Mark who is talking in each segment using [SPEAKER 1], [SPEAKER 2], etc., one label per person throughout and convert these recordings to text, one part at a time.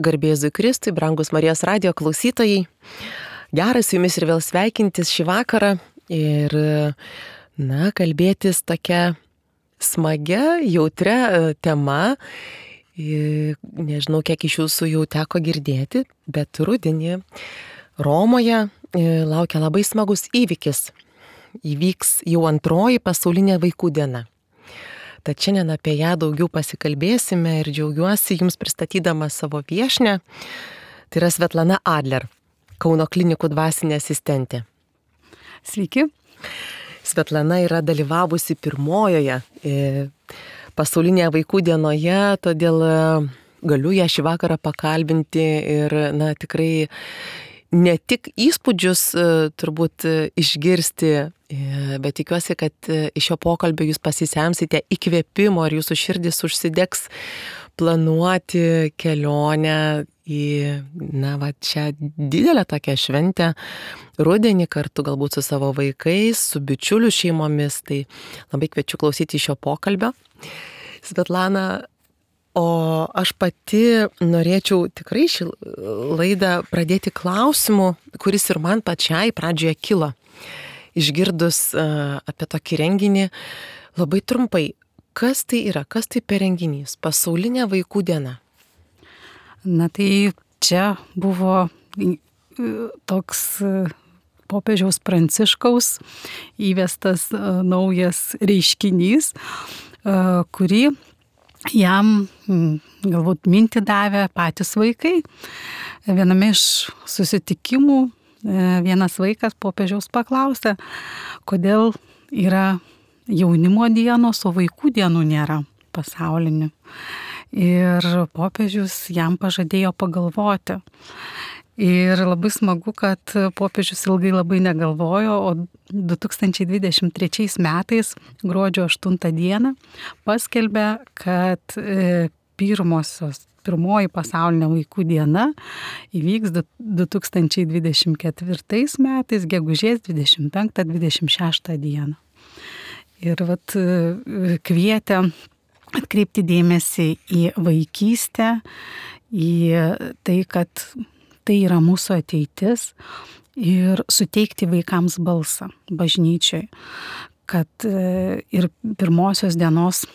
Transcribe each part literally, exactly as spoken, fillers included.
[SPEAKER 1] Garbėzui Kristui, brangus Marijos radijo klausytojai. Geras su jumis ir vėl sveikintis šį vakarą ir, na, kalbėtis tokia smagia, jautria tema. Nežinau, kiek iš jūsų jau teko girdėti, bet rudenį Romoje laukia labai smagus įvykis. Įvyks jau antroji pasaulinė vaikų diena. Tad šiandien apie ją daugiau pasikalbėsime ir džiaugiuosi jums pristatydama savo viešnią. Tai yra Svetlana Adler, Kauno klinikų dvasinė asistentė.
[SPEAKER 2] Sveiki.
[SPEAKER 1] Svetlana yra dalyvavusi pirmojoje pasaulinėje vaikų dienoje, todėl galiu ją šį vakarą pakalbinti ir, na, tikrai ne tik įspūdžius turbūt išgirsti, bet tikiuosi, kad iš šio pokalbio jūs pasisemsite įkvėpimo ir jūsų širdis užsidegs planuoti kelionę į, na, va, šią didelę tokią šventę rudenį kartu galbūt su savo vaikais, su bičiulių šeimomis. Tai labai kviečiu klausyti šio pokalbio. Svetlana, o aš pati norėčiau tikrai šį laidą pradėti klausimu, kuris ir man pačiai pradžioje kilo. Išgirdus uh, apie tokį renginį, labai trumpai, kas tai yra, kas tai per renginys, pasaulinė vaikų diena?
[SPEAKER 2] Na tai čia buvo toks popiežiaus Pranciškaus įvestas uh, naujas reiškinys, uh, kurį jam galbūt mintį davė patys vaikai. Viename iš susitikimų vienas vaikas popiežiaus paklausė, kodėl yra jaunimo dienos, o vaikų dienų nėra pasaulinių. Ir popiežius jam pažadėjo pagalvoti. Ir labai smagu, kad popiežius ilgai labai negalvojo, o du tūkstančiai dvidešimt trečiais metais, gruodžio aštuntą dieną, paskelbė, kad pirmosios Pirmoji pasaulinė vaikų diena įvyks du tūkstančiai dvidešimt ketvirtais metais, gegužės dvidešimt penktą dvidešimt šeštą dieną. Ir vat kvietė atkreipti dėmesį į vaikystę, į tai, kad tai yra mūsų ateitis ir suteikti vaikams balsą bažnyčioj, kad ir pirmosios dienos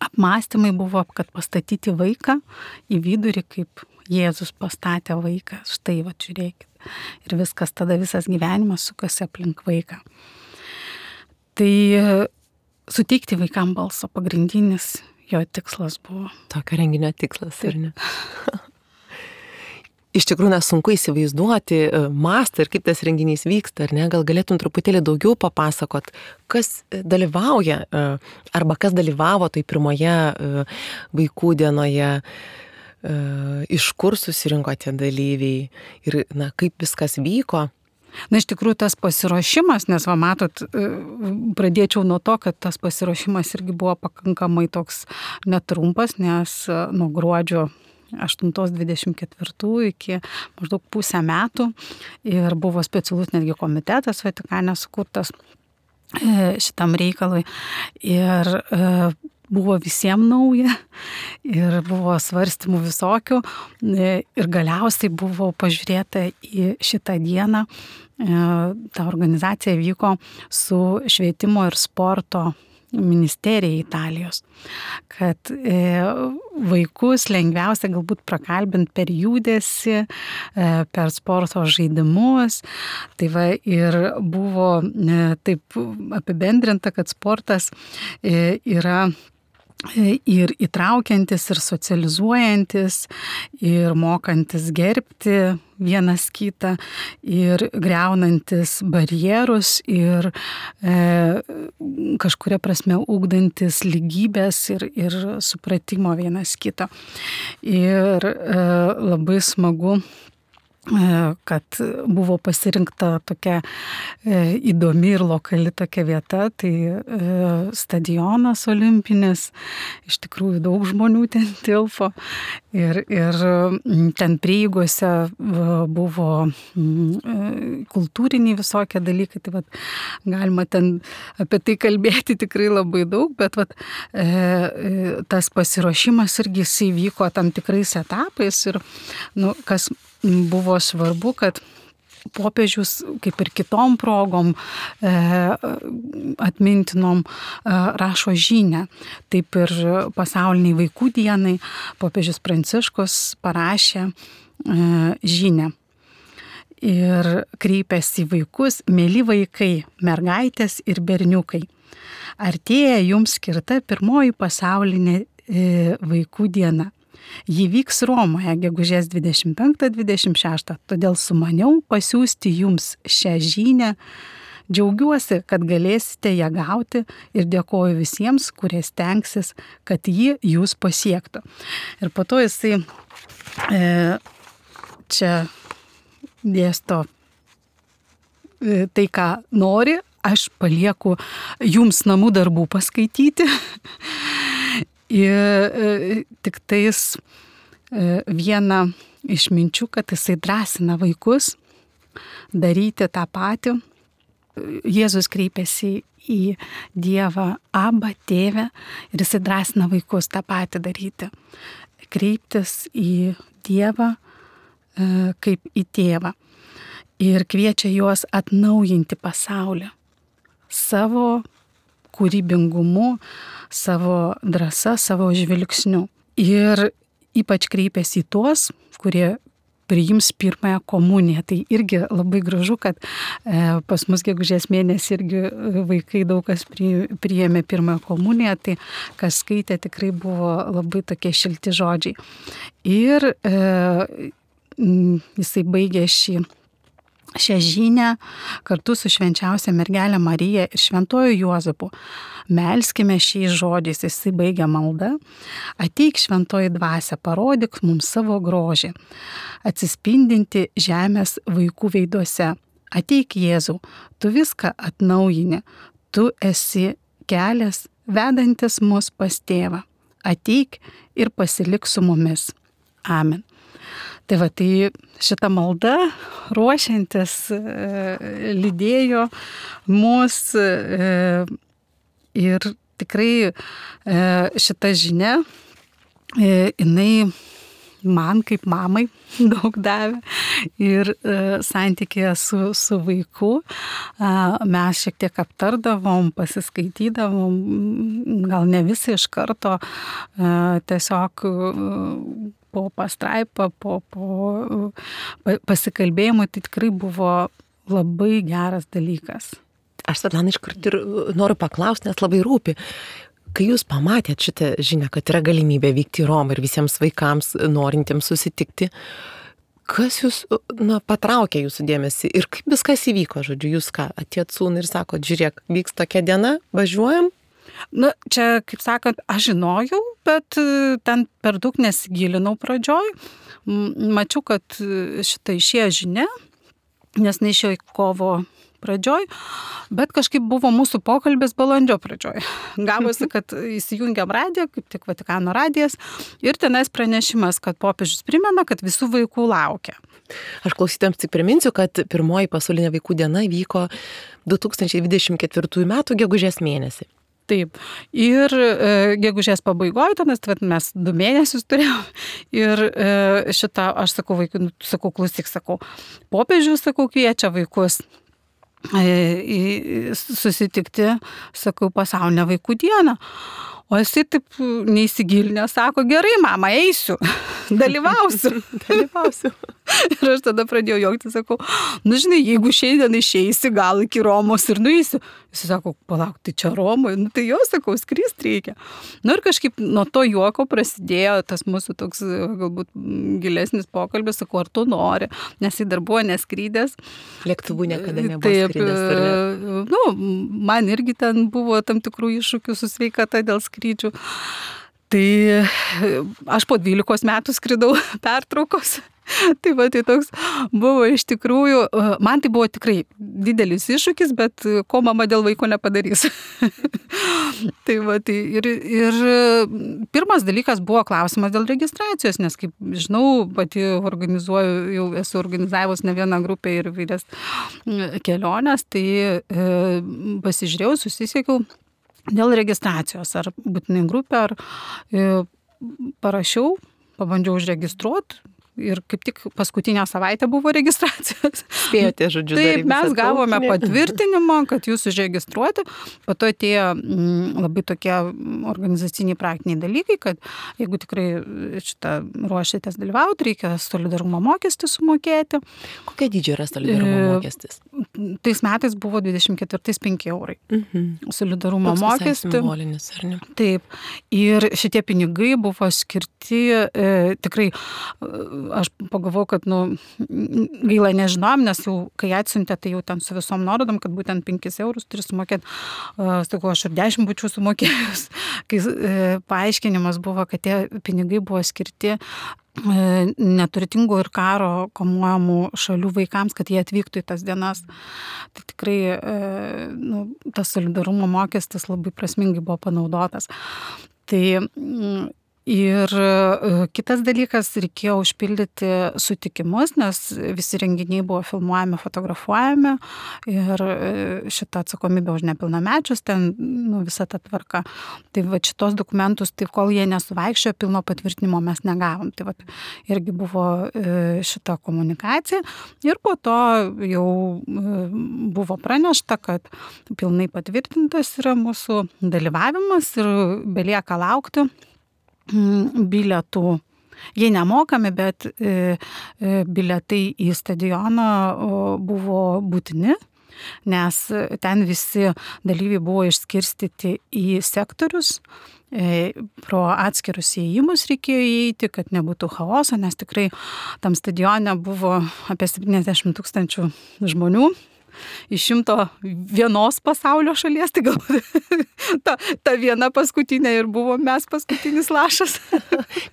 [SPEAKER 2] apmąstymai buvo, kad pastatyti vaiką į vidurį, kaip Jėzus pastatė vaiką. Štai, va, žiūrėkit. Ir viskas, tada visas gyvenimas sukasi aplink vaiką. Tai suteikti vaikam balsą pagrindinis jo tikslas buvo.
[SPEAKER 1] Tokio renginio tikslas, ar ne? Iš tikrųjų, na, sunku įsivaizduoti mastą ir kaip tas renginys vyksta, ar ne? Gal galėtum truputėlį daugiau papasakot, kas dalyvauja arba kas dalyvavo tai pirmoje vaikų dienoje, iš kur susirinko tie dalyviai ir, na, kaip viskas vyko.
[SPEAKER 2] Na, iš tikrųjų, tas pasiruošimas, nes, va, matot, pradėčiau nuo to, kad tas pasiruošimas irgi buvo pakankamai toks netrumpas, nes nuo gruodžio aštuntos dvidešimt ketvirtų iki maždaug pusę metų ir buvo specialus netgi komitetas Vatikane sukurtas šitam reikalui ir buvo visiems nauja ir buvo svarstymų visokių ir galiausiai buvo pažiūrėta į šitą dieną. Ta organizacija vyko su švietimo ir sporto ministerija Italijos, kad e, vaikus lengviausia galbūt prakalbinti per judesį, e, per sporto žaidimus. Tai va, ir buvo e, taip apibendrinta, kad sportas e, yra ir įtraukiantis, ir socializuojantis, ir mokantis gerbti vienas kitą, ir griaunantis barjerus, ir e, kažkuria prasme ugdantis lygybės ir, ir supratimo vienas kito. Ir e, labai smagu kad buvo pasirinkta tokia įdomi ir lokali tokia vieta, tai stadionas olimpinis, iš tikrųjų daug žmonių ten tilpo ir, ir ten prieigose buvo kultūriniai visokie dalykai, tai vat, galima ten apie tai kalbėti tikrai labai daug, bet vat, tas pasiruošimas irgi jisai vyko tam tikrais etapais ir nu, kas buvo svarbu, kad popiežius, kaip ir kitom progom e, atmintinom, e, rašo žinią. Taip ir pasauliniai vaikų dienai popiežius Pranciškus parašė e, žinią. Ir kreipėsi į vaikus: mėly vaikai, mergaitės ir berniukai, artėja jums skirta pirmoji pasaulinė e, vaikų diena. Ji vyks Romoje gegužės dvidešimt penktą dvidešimt šeštą, todėl sumaniau pasiųsti jums šią žinią. Džiaugiuosi, kad galėsite ją gauti ir dėkoju visiems, kurie stengsis, kad ji jūs pasiektų. Ir po to jisai e, čia dėsto e, tai, ką nori, aš palieku jums namų darbų paskaityti. Ir tik tais viena iš minčių, kad jisai drąsina vaikus daryti tą patį. Jėzus kreipėsi į Dievą: Aba, Tėve, ir jisai drąsina vaikus tą patį daryti. Kreiptis į Dievą kaip į tėvą. Ir kviečia juos atnaujinti pasaulį savo kūrybingumu, savo drąsa, savo žvilgsniu. Ir ypač kreipiasi į tuos, kurie priims pirmąją komuniją. Tai irgi labai gražu, kad e, pas mus gegužės mėnesį irgi vaikai daug kas pri, priėmė pirmąją komuniją, tai kas skaitė, tikrai buvo labai tokie šilti žodžiai. Ir e, jisai baigė šį šią žinią kartu su švenčiausia mergelė Marija ir šventuoju Juozapu. Melskime šiais žodžiais, jisai baigia maldą: ateik šventoji dvasia, parodyk mums savo grožį, atsispindinti žemės vaikų veiduose. Ateik Jėzau, tu viską atnaujini, tu esi kelias vedantis mus pas tėvą. Ateik ir pasilik su mumis. Amen. Tai va, tai šitą maldą ruošiantis e, lydėjo mus e, ir tikrai e, šita žinia, e, jinai man kaip mamai daug davė ir e, santykėje su, su vaiku e, mes šiek tiek aptardavom, pasiskaitydavom, gal ne visi iš karto, e, tiesiog e, po pastraipą, po, po pasikalbėjimą, tai tikrai buvo labai geras dalykas.
[SPEAKER 1] Aš, Svetlana, iškart ir noriu paklausti, nes labai rūpi. Kai jūs pamatėt šitą žinią, kad yra galimybė vykti į Romą ir visiems vaikams norintiems susitikti, kas jūs, na, patraukė jūsų dėmesį ir kaip viskas įvyko, žodžiu, jūs ką, atėjot sūnų ir sakot: žiūrėk, vyks tokia diena, važiuojam?
[SPEAKER 2] Na, čia, kaip sakant, aš žinojau, bet ten per daug nesigilinau pradžioj. Mačiau, kad šitą išėjo žinia, nes neišėjo į kovo pradžioj, bet kažkaip buvo mūsų pokalbis balandžio pradžioj. Gavosi, kad įsijungiam radiją, kaip tik Vatikano radijas, ir tenais pranešimas, kad popiežius primena, kad visų vaikų laukia.
[SPEAKER 1] Aš klausytėms tik priminsiu, kad pirmoji pasaulinė vaikų diena vyko du tūkstančiai dvidešimt ketvirtųjų metų gegužės mėnesį.
[SPEAKER 2] Taip. Ir e, gegužės pabaigoje, nes mes du mėnesius turėjom. Ir e, šitą, aš sakau vaikui, nu, sakau, klausyk, sakau, popiežius, sakau, kviečia vaikus e, susitikti, sakau, pasaulinę vaikų dieną. O jisai taip neįsigilinę, sako: gerai, mama, eisiu, dalyvausiu.
[SPEAKER 1] dalyvausiu.
[SPEAKER 2] Ir aš tada pradėjau juokti, sakau: nu žinai, jeigu šiandien išeisi, gal iki Romos ir nueisiu. Jis sako: palauk, tai čia Romoje, nu tai jau, sakau, skrist reikia. Nu ir kažkaip nuo to juoko prasidėjo tas mūsų toks galbūt gilesnis pokalbis, sakau, ar tu nori, nes jis dar buvo neskrydęs.
[SPEAKER 1] Lėktuvų niekada nebuvo
[SPEAKER 2] Taip,
[SPEAKER 1] skrydęs. Ne?
[SPEAKER 2] Nu, man irgi ten buvo tam tikrų iššūkių su sveikata dėl skrydžių. Tai aš po dvylikos metų skridau pertraukos Tai va, tai toks buvo iš tikrųjų, man tai buvo tikrai didelis iššūkis, bet ko mama dėl vaiko nepadarys. Tai va, tai ir, ir pirmas dalykas buvo klausimas dėl registracijos, nes kaip žinau, pati organizuoju, jau esu organizavus ne vieną grupę ir vairias keliones, tai e, pasižiūrėjau, susisiekiau dėl registracijos, ar būtinai grupė, ar e, parašiau, pabandžiau užregistruoti. Ir kaip tik paskutinę savaitę buvo registracijos.
[SPEAKER 1] Spėjote, žodžiu,
[SPEAKER 2] taip, mes gavome patvirtinimą, kad jūs užregistruoti. Po to atėjo m, labai tokie organizaciniai praktiniai dalykai, kad jeigu tikrai šitą ruošiatės dalyvauti, reikia solidarumo mokestį sumokėti.
[SPEAKER 1] Kokia dydžio yra solidarumo mokestis?
[SPEAKER 2] Tais metais buvo dvidešimt ketvirtais penki eurai.
[SPEAKER 1] Mhm.
[SPEAKER 2] Solidarumo
[SPEAKER 1] Toks
[SPEAKER 2] mokestį.
[SPEAKER 1] Simbolinis, ar ne?
[SPEAKER 2] Taip. Ir šitie pinigai buvo skirti e, tikrai aš pagalvojau, kad, nu, gaila nežinom, nes jau, kai atsiuntė, tai jau ten su visom nuorodom, kad būtent penkis eurus turi sumokėti. Uh, sakau, aš ir dešimt būčiau sumokėjus. Kai uh, paaiškinimas buvo, kad tie pinigai buvo skirti uh, neturtingų ir karo kamuojamų šalių vaikams, kad jie atvyktų į tas dienas. Tai tikrai uh, nu, tas solidarumo mokestis labai prasmingai buvo panaudotas. Tai mm, Ir kitas dalykas, reikėjo užpildyti sutikimus, nes visi renginiai buvo filmuojami, fotografuojami ir šitą atsakomybę už nepilnamečius, ten nu, visa ta tvarka. Tai va šitos dokumentus, tai kol jie nesuvaikščiojo, pilno patvirtinimo mes negavom. Tai va irgi buvo šita komunikacija ir po to jau buvo pranešta, kad pilnai patvirtintas yra mūsų dalyvavimas ir belieka laukti bilietų. Jie nemokami, bet e, e, bilietai į stadioną o, buvo būtini, nes ten visi dalyviai buvo išskirstyti į sektorius, e, pro atskirus įėjimus reikėjo įeiti, kad nebūtų chaoso, nes tikrai tam stadione buvo apie septyniasdešimt tūkstančių žmonių. Iš šimto vienos pasaulio šalies, tai galbūt ta, ta viena paskutinė ir buvo mes paskutinis lašas.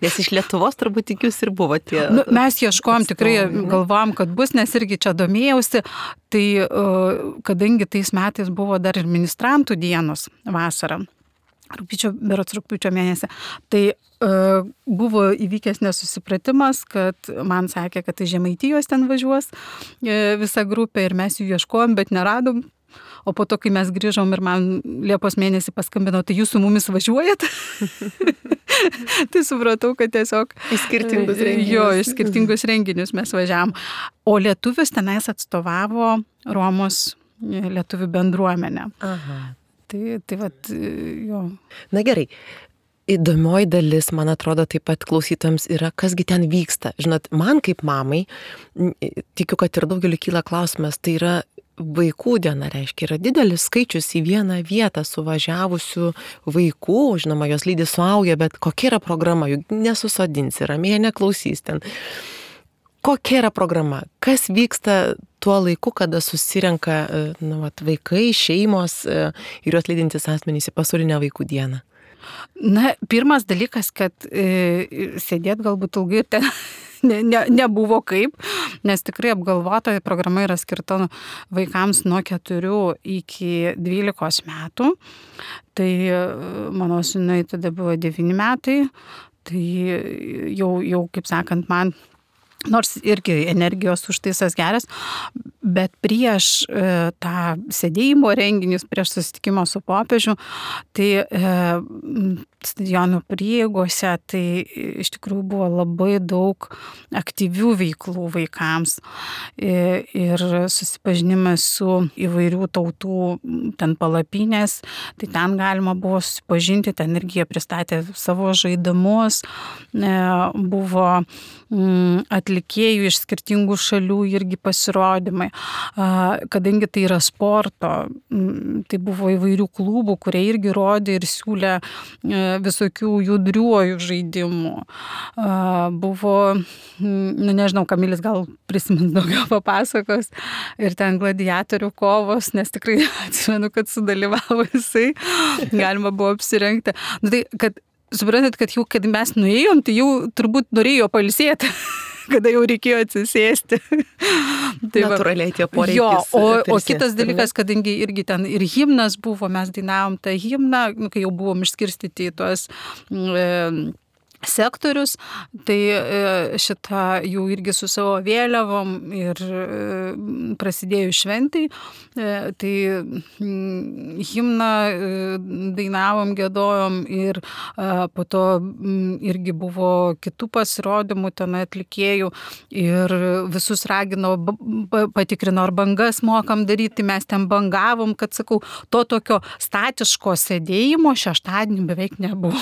[SPEAKER 1] Nes iš Lietuvos turbūt tik jūs ir buvo tie.
[SPEAKER 2] Nu, mes ieškojom, tikrai galvojom, kad bus, nes irgi čia domėjausi, tai kadangi tais metais buvo dar ir ministrantų dienos vasarą, rugpjūčio, berods rugpjūčio mėnesį, tai uh, buvo įvykęs nesusipratimas, kad man sakė, kad tai Žemaitijos ten važiuos uh, visa grupė ir mes jų ieškojom, bet neradom. O po to, kai mes grįžom ir man Liepos mėnesį paskambino, tai jūs su mumis važiuojat? Tai supratau, kad tiesiog
[SPEAKER 1] į skirtingus renginius.
[SPEAKER 2] Jo, į skirtingus renginius mes važiavom. O lietuvius tenais atstovavo Romos lietuvių bendruomenė.
[SPEAKER 1] Aha.
[SPEAKER 2] Tai, tai vat, jo.
[SPEAKER 1] Na gerai, įdomioji dalis, man atrodo, taip pat klausytojams yra, kasgi ten vyksta. Žinot, man kaip mamai, tikiu, kad ir daugeliu kyla klausimas, tai yra vaikų diena, reiškia, yra didelis skaičius į vieną vietą suvažiavusių vaikų, žinoma, jos lydi suaugę, bet kokia yra programa, juk nesusodinsi, ramiai neklausys ten. Kokia yra programa? Kas vyksta tuo laiku, kada susirenka nu, vat, vaikai, šeimos ir juos lydintys asmenys į pasaulinę vaikų dieną?
[SPEAKER 2] Na, pirmas dalykas, kad e, sėdėt galbūt ilgai ir ten ne, ne, nebuvo kaip, nes tikrai apgalvota programa yra skirta vaikams nuo keturių iki dvylikos metų. Tai mano sūnui tada buvo devyni metai, tai jau, jau kaip sakant, man nors irgi energijos užtaisas geras, bet prieš e, tą sėdėjimo renginius, prieš susitikimą su popiežiu, tai e, stadionų prieigose, tai iš tikrųjų buvo labai daug aktyvių veiklų vaikams e, ir susipažinimas su įvairių tautų ten palapinės, tai ten galima buvo susipažinti, ten irgi jie pristatė savo žaidimus, e, buvo mm, atlikėjų iš skirtingų šalių irgi pasirodymai. Kadangi tai yra sporto, tai buvo įvairių klubų, kurie irgi rodė ir siūlė visokių judriuojų žaidimų. Buvo, nu nežinau, Kamilis gal prisimins daugiau papasakos, ir ten gladiatorių kovos, nes tikrai atsimenu, kad sudalyvavo jisai, galima buvo apsirengti. Nu, tai, kad suprantat, kad jau, kad mes nuėjom, tai jau turbūt norėjo pailsėti. kada jau reikėjo atsisėsti.
[SPEAKER 1] Tai natūraliai tie poreikiai.
[SPEAKER 2] Jo, o, o kitas dalykas, kadangi irgi ten ir himnas buvo, mes dainavom tą himną, kai jau buvom išskirstyti į tuos e, sektorius, tai šitą jų irgi su savo vėliavom ir prasidėjus šventai, tai himną dainavom, giedojom ir po to irgi buvo kitų pasirodymų ten atlikėjų ir visus ragino, patikrino, ar bangas mokam daryti, mes ten bangavom, kad sakau, to tokio statiško sėdėjimo šeštadienį beveik nebuvo.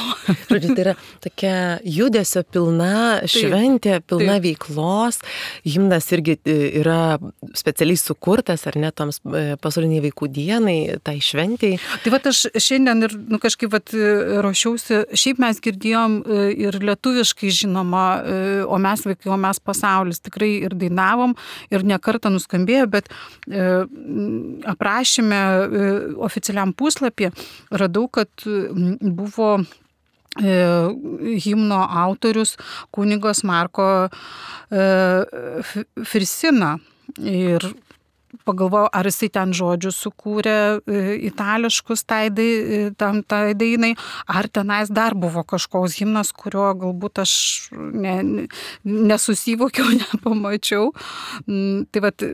[SPEAKER 1] Žodžiu, tai yra tokia judesio pilna šventė, pilna taip. Veiklos. Himnas irgi yra specialiai sukurtas, ar ne, toms pasauliniai vaikų dienai, tai šventėjai.
[SPEAKER 2] Tai vat aš šiandien ir nu, kažkaip vat, ruošiausi, šiaip mes girdėjom ir lietuviškai žinoma, o mes vaikai, o mes pasaulis, tikrai ir dainavom, ir nekartą nuskambėjo, bet e, aprašyme e, oficialiam puslapį radau, kad buvo himno autorius kunigas Marko Frisina ir pagalvojau, ar jisai ten žodžius sukūrė itališkus tai, tam, tai dainai, ar tenais dar buvo kažkoks himnas, kurio galbūt aš ne, nesusivokiau, nepamačiau. Tai vat,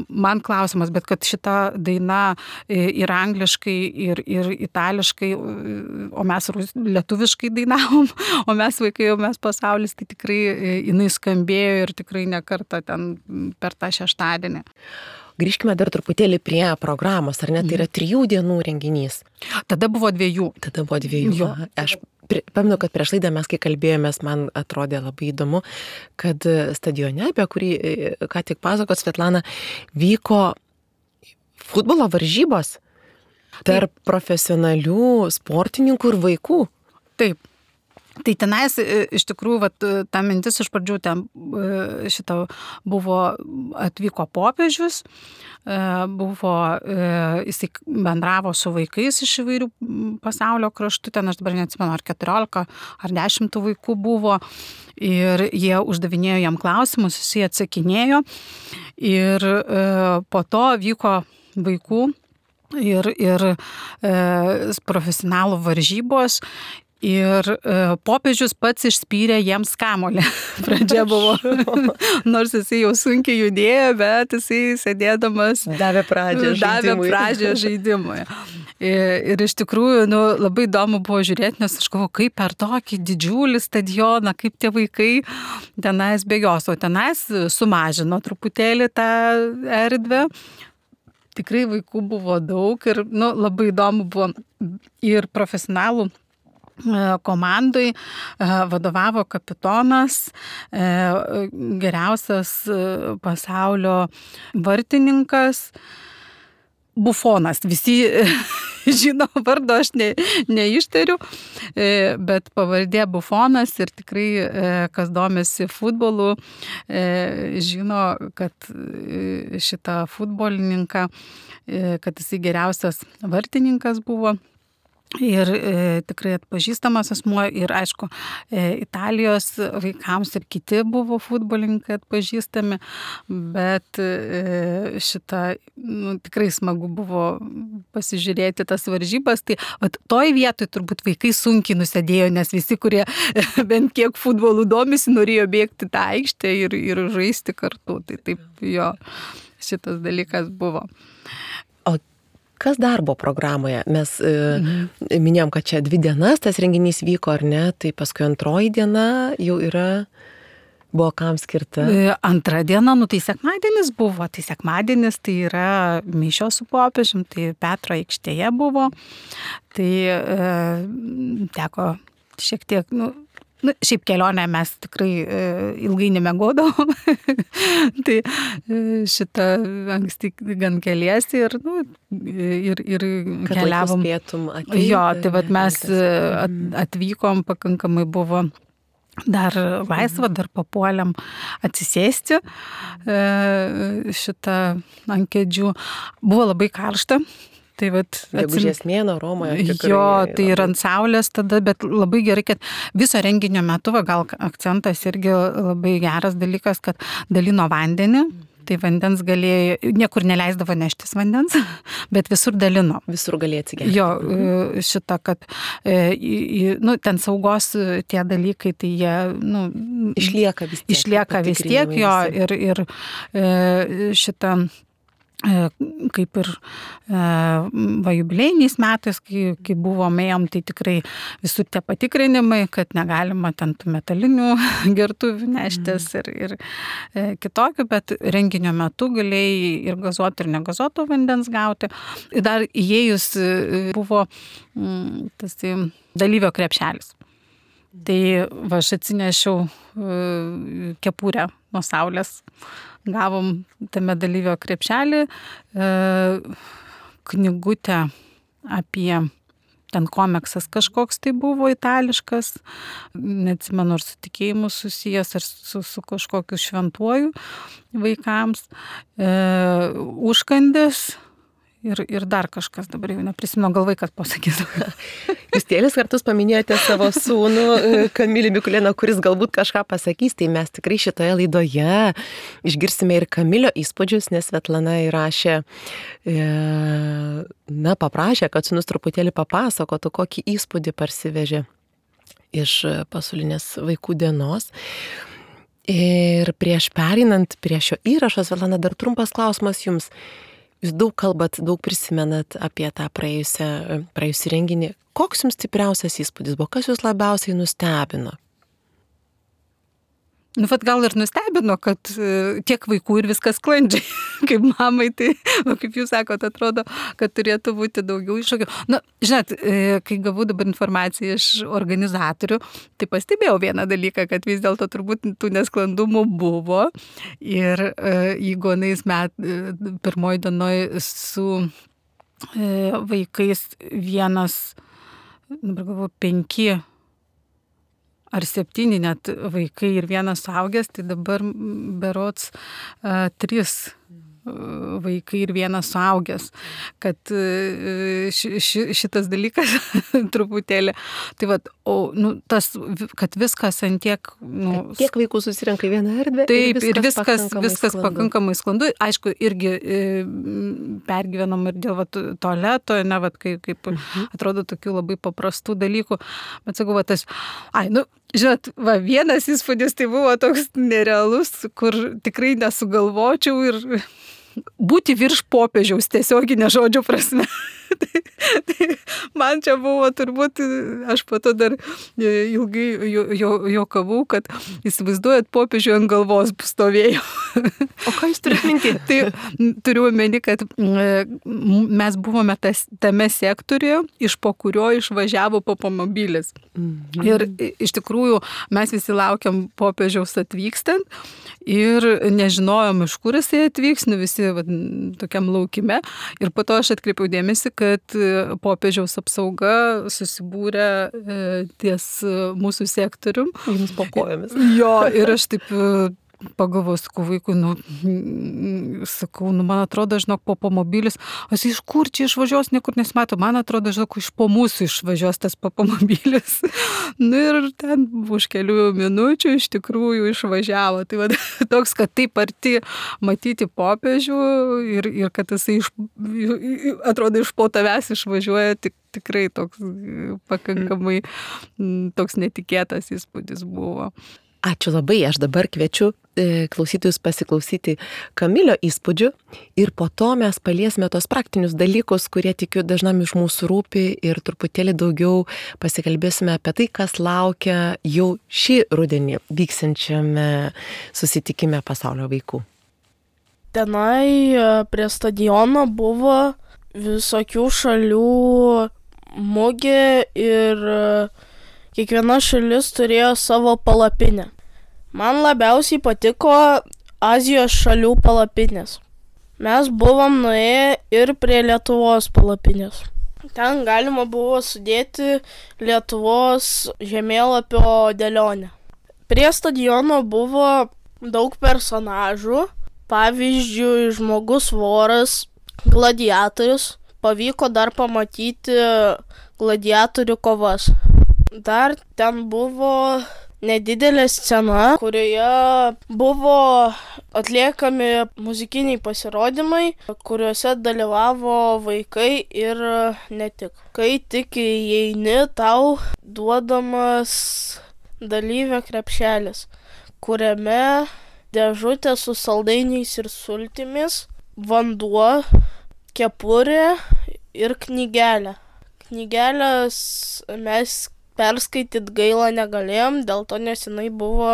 [SPEAKER 2] man klausimas, bet kad šita daina ir angliškai, ir, ir itališkai, o mes lietuviškai dainavom, o mes vaikai, o mes pasaulis, tai tikrai jinai skambėjo ir tikrai ne kartą ten per tą šeštadienį.
[SPEAKER 1] Grįžkime dar truputėlį prie programos, ar ne, tai yra trijų dienų renginys.
[SPEAKER 2] Tada buvo dviejų.
[SPEAKER 1] Tada buvo dviejų. Jo. Aš pamenu, kad prieš laidą mes, kai kalbėjomės, man atrodė labai įdomu, kad stadione, apie kurį ką tik pasakot Svetlana, vyko futbolo varžybos tarp Taip. Profesionalių sportininkų ir vaikų.
[SPEAKER 2] Taip. Tai tenais iš tikrųjų, vat, ta mintis iš pradžių ten šitą buvo, atvyko popiežius, buvo, jisai bendravo su vaikais iš įvairių pasaulio kraštų, ten aš dabar neatsimenu, ar keturiolika, ar dešimt vaikų buvo, ir jie uždavinėjo jam klausimus, jisai atsakinėjo, ir po to vyko vaikų ir, ir profesionalų varžybos. Ir e, popiežius pats išspyrė jiems kamuolį. Pradžia buvo, nors jisai jau sunkiai judėjo, bet jisai sėdėdamas
[SPEAKER 1] davė pradžią žaidimui.
[SPEAKER 2] Davė pradžią žaidimui. Ir, ir iš tikrųjų nu, labai įdomu buvo žiūrėti, nes aš galvoju, kaip per tokį didžiulį stadioną, kaip tie vaikai tenais bėgios, o tenais sumažino truputėlį tą erdvę. Tikrai vaikų buvo daug ir nu, labai įdomu buvo ir profesionalų komandai vadovavo kapitonas, geriausias pasaulio vartininkas, Bufonas. Visi žino vardo, aš ne, neištariu, bet pavardė Bufonas ir tikrai, kas domisi futbolu, žino, kad šitą futbolininką, kad jisai geriausias vartininkas buvo. Ir e, tikrai atpažįstamas asmuo ir aišku, e, Italijos vaikams ir kiti buvo futbolininkai atpažįstami, bet e, šitą nu, tikrai smagu buvo pasižiūrėti tas varžybas. Tai vat, toj vietoj turbūt vaikai sunkiai nusėdėjo, nes visi, kurie bent kiek futbolų domisi, norėjo bėgti tą aikštę ir, ir žaisti kartu. Tai taip jo, šitas dalykas buvo.
[SPEAKER 1] Kas dar buvo programoje? Mes mhm. e, minėjom, kad čia dvi dienas tas renginys vyko, ar ne? Tai paskui antroji diena jau yra, buvo kam skirta?
[SPEAKER 2] Antra diena, nu tai sekmadienis buvo. Tai sekmadienis tai yra mišios su popiežium, tai Petro aikštėje buvo. Tai e, teko šiek tiek, nu, nu, šiaip kelionę mes tikrai e, ilgai nemiegodavom. Tai e, šitą anksti gan keliesi ir, nu, ir, ir
[SPEAKER 1] kad
[SPEAKER 2] keliavom.
[SPEAKER 1] Ateiti,
[SPEAKER 2] jo, tai vat mes at, atvykom, pakankamai buvo dar laisva, dar papuolėm atsisėsti e, šitą ant kėdžių. Buvo labai karšta. Tai vat,
[SPEAKER 1] Gegužės mėnuo Romoje. Tikrai,
[SPEAKER 2] jo, tai ir ant saulės tada, bet labai gerai, kad viso renginio metu, va, gal akcentas irgi labai geras dalykas, kad dalino vandenį. Tai vandens galėjo, niekur neleisdavo neštis vandens, bet visur dalino.
[SPEAKER 1] Visur galėjo atsigerti.
[SPEAKER 2] Jo, šitą, kad nu, ten saugos tie dalykai, tai jie nu,
[SPEAKER 1] išlieka vis tiek.
[SPEAKER 2] Išlieka vis tiek, jo, ir, ir šitą kaip ir va, jubiliejiniais metais, kai, kai buvom ėjom, tai tikrai visur tie patikrinimai, kad negalima ten tų metalinių gertuvių neštis ir, ir kitokių, bet renginio metu galėjai ir gazuoto, ir negazuoto vandens gauti. Ir dar įėjus buvo tas tai, dalyvio krepšelis. Tai va, aš atsinešiau kepurę nuo saulės. Gavom tame dalyvio krepšelį knygutę apie, ten komiksas kažkoks tai buvo itališkas, neatsimenu, ar su tikėjimu susijęs, ar su, su kažkokiu šventuoju vaikams, e, užkandis. Ir, ir dar kažkas, dabar jau neprisimenu, gal vaikas pasakys.
[SPEAKER 1] Jūs kelis kartus paminėjote savo sūnų Kamilį Mikulėną, kuris galbūt kažką pasakys, tai mes tikrai šitoje laidoje išgirsime ir Kamilio įspūdžius, nes Svetlana įrašė, na, paprašė, kad sūnus truputėlį papasakotų, kokį įspūdį parsivežė iš pasaulinės vaikų dienos. Ir prieš pereinant prie šio įrašo, Svetlana, dar trumpas klausimas jums. Jūs daug kalbat, daug prisimenat apie tą praėjusią, praėjusį renginį. Koks jums stipriausias įspūdis buvo? Kas jūs labiausiai nustebino?
[SPEAKER 2] Nu, vat gal ir nustebino, kad tiek vaikų ir viskas sklandžiai. Kaip mamai, tai, nu, kaip jūs sakot, atrodo, kad turėtų būti daugiau iššūkių. Na, žinot, kai gavau dabar informaciją iš organizatorių, tai pastebėjau vieną dalyką, kad vis dėlto turbūt tų nesklandumų buvo. Ir jeigu anais met, pirmoji dienoj su vaikais vienas, dabar galvoju, penki ar septyni net vaikai ir vienas suaugęs, tai dabar berods uh, trys vaikai ir vienas suaugęs, kad ši, ši, šitas dalykas truputėlį, tai va, o, nu, tas, kad viskas ant tiek, nu,
[SPEAKER 1] tiek vaikų susirenka į vieną erdvę.
[SPEAKER 2] Taip,
[SPEAKER 1] ir viskas,
[SPEAKER 2] ir viskas,
[SPEAKER 1] pakankamai,
[SPEAKER 2] viskas
[SPEAKER 1] sklandu.
[SPEAKER 2] pakankamai sklandu. Aišku, irgi e, pergyvenom ir dėl va, tualeto, ne, va, kaip, kaip mhm. atrodo tokių labai paprastų dalykų, bet sakau, va, tas, ai, nu, žinot, va, vienas įspūdis tai buvo toks nerealus, kur tikrai nesugalvočiau ir būti virš popiežiaus tiesioginė žodžio prasme. tai, tai man čia buvo turbūt, aš po to dar ilgai juokavau, kad įsivaizduojat, popiežių ant galvos stovėjo.
[SPEAKER 1] O ką jūs turite minti?
[SPEAKER 2] Tai turiu omeny, kad mes buvome tas, tame sektoriuje, iš po kurio išvažiavo popomobilis. Mhm. Ir iš tikrųjų mes visi laukiam popiežiaus atvykstant ir nežinojom, iš kur jisai atvyks, nu visi va, tokiam laukime. Ir po to aš atkreipiau dėmesį, kad popiežiaus apsauga susibūrė e, ties mūsų sektorium.
[SPEAKER 1] Jums po kojomis.
[SPEAKER 2] Jo, ir aš taip pagalvojau, sakau, vaikui, nu, sakau, nu, man atrodo, žinok, po pomobilis, o jis iš kur čia išvažiuos, niekur nesimato, man atrodo, žinok, iš po mūsų išvažiuos tas pomobilis. Nu ir ten už kelių minučių iš tikrųjų išvažiavo. Tai va, toks, kad taip arti matyti popiežių ir, ir kad jisai iš, atrodo, iš po tavęs išvažiuoja, tik, tikrai toks pakankamai toks netikėtas įspūdis buvo.
[SPEAKER 1] Ačiū labai, aš dabar kviečiu e, klausytojus pasiklausyti Kamilio įspūdžių ir po to mes paliesime tos praktinius dalykus, kurie tikiu dažnam iš mūsų rūpi ir truputėlį daugiau pasikalbėsime apie tai, kas laukia jau šį rudenį vyksiančiame susitikime pasaulio vaikų.
[SPEAKER 3] Tenai prie stadiono buvo visokių šalių mugė ir kiekviena šalis turėjo savo palapinę. Man labiausiai patiko Azijos šalių palapinės. Mes buvom nuėję ir prie Lietuvos palapinės. Ten galima buvo sudėti Lietuvos žemėlapio dėlionę. Prie stadiono buvo daug personažų, pavyzdžiui, žmogus voras, gladiatorius, pavyko dar pamatyti gladiatorių kovas. Dar ten buvo nedidelė scena, kurioje buvo atliekami muzikiniai pasirodymai, kuriuose dalyvavo vaikai ir ne tik. Kai tik įeini, tau duodamas dalyvio krepšelis, kuriame dėžutė su saldainiais ir sultimis, vanduo, kepurė ir knygelė. Knygelės mes perskaityt gaila negalėjom, dėl to nes jinai buvo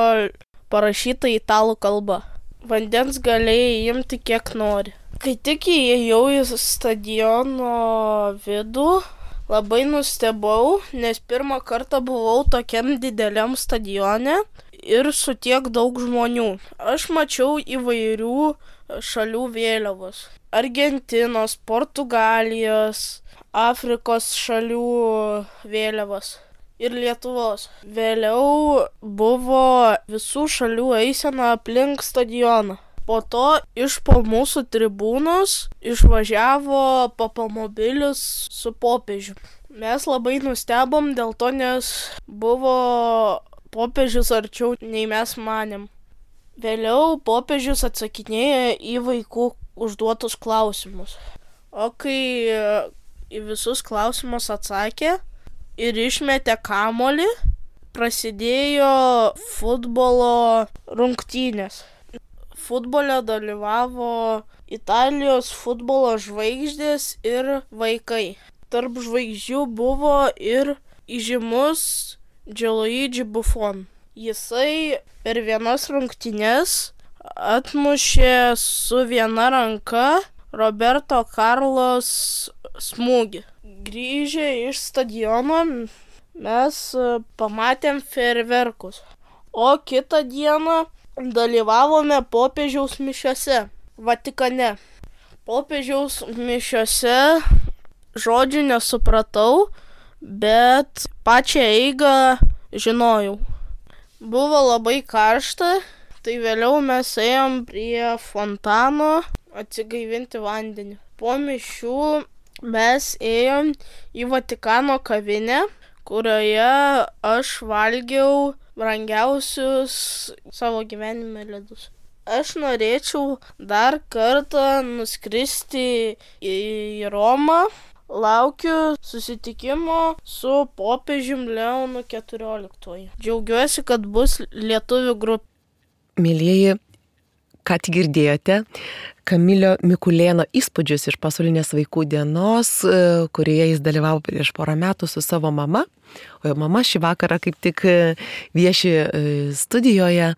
[SPEAKER 3] parašyta italų kalba. Vandens galėjai imti kiek nori. Kai tik įėjau į stadiono vidų, labai nustebau, nes pirmą kartą buvau tokiam dideliam stadione ir su tiek daug žmonių. Aš mačiau įvairių šalių vėliavos. Argentinos, Portugalijos, Afrikos šalių vėliavos. Ir Lietuvos. Vėliau buvo visų šalių eisena aplink stadioną. Po to iš po mūsų tribūnos išvažiavo papamobilis su popiežiu. Mes labai nustebom dėl to, nes buvo popiežius arčiau nei mes manėm. Vėliau popiežius atsakinėja į vaikų užduotus klausimus. O kai į visus klausimus atsakė ir išmetė kamuolį, prasidėjo futbolo rungtynės. Futbole dalyvavo Italijos futbolo žvaigždės ir vaikai. Tarp žvaigždžių buvo ir įžymus Gianluigi Buffon. Jisai per vienas rungtynes atmušė su viena ranka Roberto Carlos smūgį. Grįžę iš stadiono mes pamatėm fejerverkus, o kitą dieną dalyvavome popiežiaus mišiose Vatikane. Popiežiaus mišiose žodžių nesupratau, bet pačią eigą žinojau. Buvo labai karšta, tai vėliau mes ėjom prie fontano atsigaivinti vandenį. Po mišių mes ėjom į Vatikano kavinę, kurioje aš valgiau brangiausius savo gyvenime ledus. Aš norėčiau dar kartą nuskristi į Romą. Laukiu susitikimo su popiežium Leonu keturioliktuoju. Džiaugiuosi, kad bus lietuvių grupė.
[SPEAKER 1] Mėlyjeji, ką tik girdėjote Kamilio Mikulėno įspūdžius iš pasaulinės vaikų dienos, kurioje jis dalyvavo prieš porą metų su savo mama, o jo mama šį vakarą kaip tik vieši studijoje.